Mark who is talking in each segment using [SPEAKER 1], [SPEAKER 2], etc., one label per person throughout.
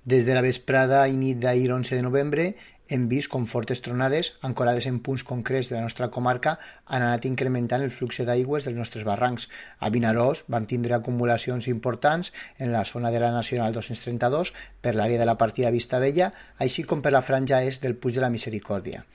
[SPEAKER 1] Des de la vesprada i nit d'ahir 11 de novembre hem vist com fortes tronades, ancorades en punts concrets de la nostra comarca, han anat incrementant el flux d'aigües dels nostres barrancs. A Vinaròs vam tindre acumulacions importants en la zona de la Nacional 232, per l'àrea de la partida Vista Vella, així com per la franja est del Puig de la Misericòrdia.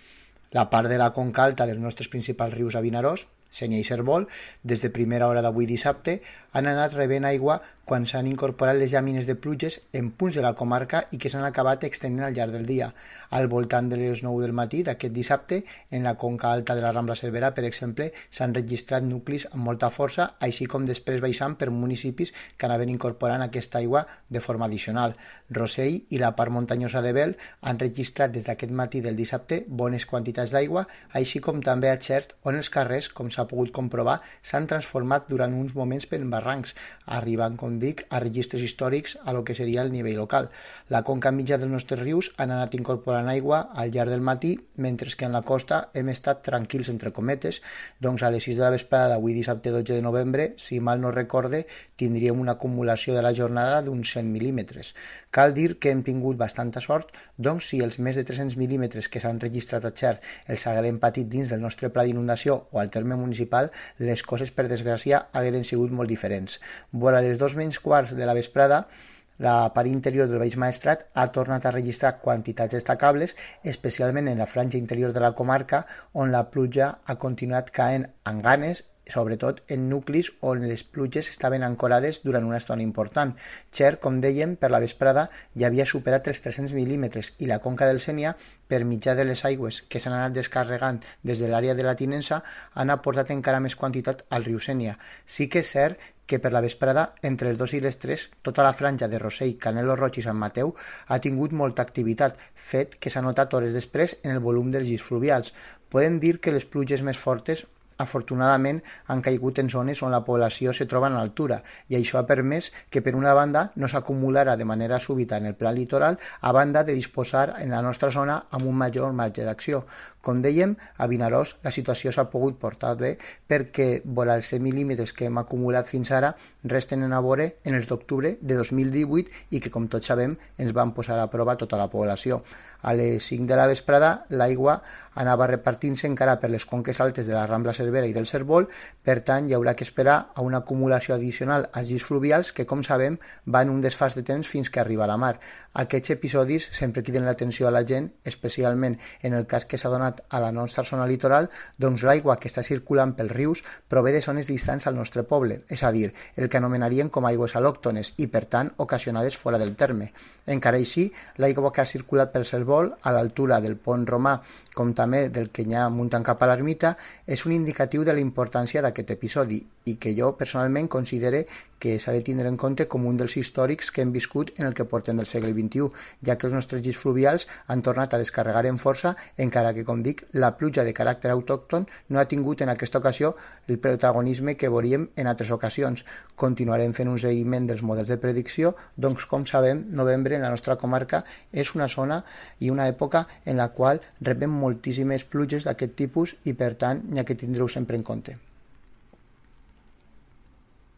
[SPEAKER 1] La part de la conca alta dels nostres principals rius a Vinaròs, Sénia i Cérvol, des de primera hora d'avui dissabte, han anat rebent aigua quan s'han incorporat les llamines de pluges en punts de la comarca i que s'han acabat extendent al llarg del dia. Al voltant de les 9 del matí d'aquest dissabte, en la conca alta de la Rambla Cervera, per exemple, s'han registrat nuclis amb molta força, així com després baixant per municipis que anaven incorporant aquesta aigua de forma addicional. Rossell i la part muntanyosa de Bel han registrat des d'aquest matí del dissabte bones quantitats d'aigua, així com també a Xert, on els carrers, com s'ha pogut comprovar, s'han transformat durant uns moments per barrancs, arribant, com dic, a registres històrics a lo que seria el nivell local. La conca mitja dels nostres rius han anat incorporant aigua al llarg del matí, mentre que en la costa hem estat tranquils, entre cometes. Doncs a les 6 de la vesprada d'avui dissabte 12 de novembre, si mal no recorde, tindríem una acumulació de la jornada d'uns 100 mil·límetres. Cal dir que hem tingut bastanta sort, doncs si els més de 300 mil·límetres que s'han registrat a Xert els haguem patit dins del nostre pla d'inundació o al terme municipal, les coses, per desgràcia, hagueren sigut molt diferents. Vora les 2:15 de la vesprada, la part interior del Baix Maestrat ha tornat a registrar quantitats destacables, especialment en la franja interior de la comarca, on la pluja ha continuat caent amb ganes, sobretot en nuclis on les pluges estaven ancorades durant una estona important. Xert, com dèiem, per la vesprada ja havia superat els 300 mil·límetres i la conca del Sénia, per mitjà de les aigües que s'han anat descarregant des de l'àrea de la Tinença, han aportat encara més quantitat al riu Sénia. Sí que és cert que per la vesprada, entre les 2 i les 3, tota la franja de Rossell, Canelo Roig i Sant Mateu ha tingut molta activitat, fet que s'ha notat hores després en el volum dels llits fluvials. Podem dir que les pluges més fortes afortunadament han caigut en zones on la població se troba en altura i això ha permès que per una banda no s'acumulara de manera súbita en el pla litoral a banda de disposar en la nostra zona amb un major marge d'acció. Com dèiem, a Vinaròs la situació s'ha pogut portar bé perquè vora els 100 mil·límetres que hem acumulat fins ara resten a veure en els d'octubre de 2018 i que, com tots sabem, ens van posar a prova tota la població. A les 5 de la vesprada l'aigua anava repartint-se encara per les conques altes de la Rambla Cervera i del Cérvol, per tant hi haurà que esperar a una acumulació addicional als llits fluvials que, com sabem, van un desfàs de temps fins que arriba a la mar. Aquests episodis sempre criden l'atenció a la gent, especialment en el cas que s'ha donat a la nostra zona litoral, doncs l'aigua que està circulant pels rius prové de zones distants al nostre poble, és a dir, el que anomenarien com aigües al·lòctones i, per tant, ocasionades fora del terme. Encara així, l'aigua que ha circulat pel Cérvol a l'altura del pont romà, com també del que hi ha muntant cap a l'ermita, és un indicatiu de la importància d'aquest episodi i que jo personalment considere que s'ha de tindre en compte com un dels històrics que hem viscut en el que portem del segle XXI, ja que els nostres llits fluvials han tornat a descarregar en força, encara que, com dic, la pluja de caràcter autòcton no ha tingut en aquesta ocasió el protagonisme que veuríem en altres ocasions. Continuarem fent un seguiment dels models de predicció, doncs, com sabem, novembre en la nostra comarca és una zona i una època en la qual rebem moltíssimes pluges d'aquest tipus i, per tant, n'hi ha que tindre-ho sempre en compte.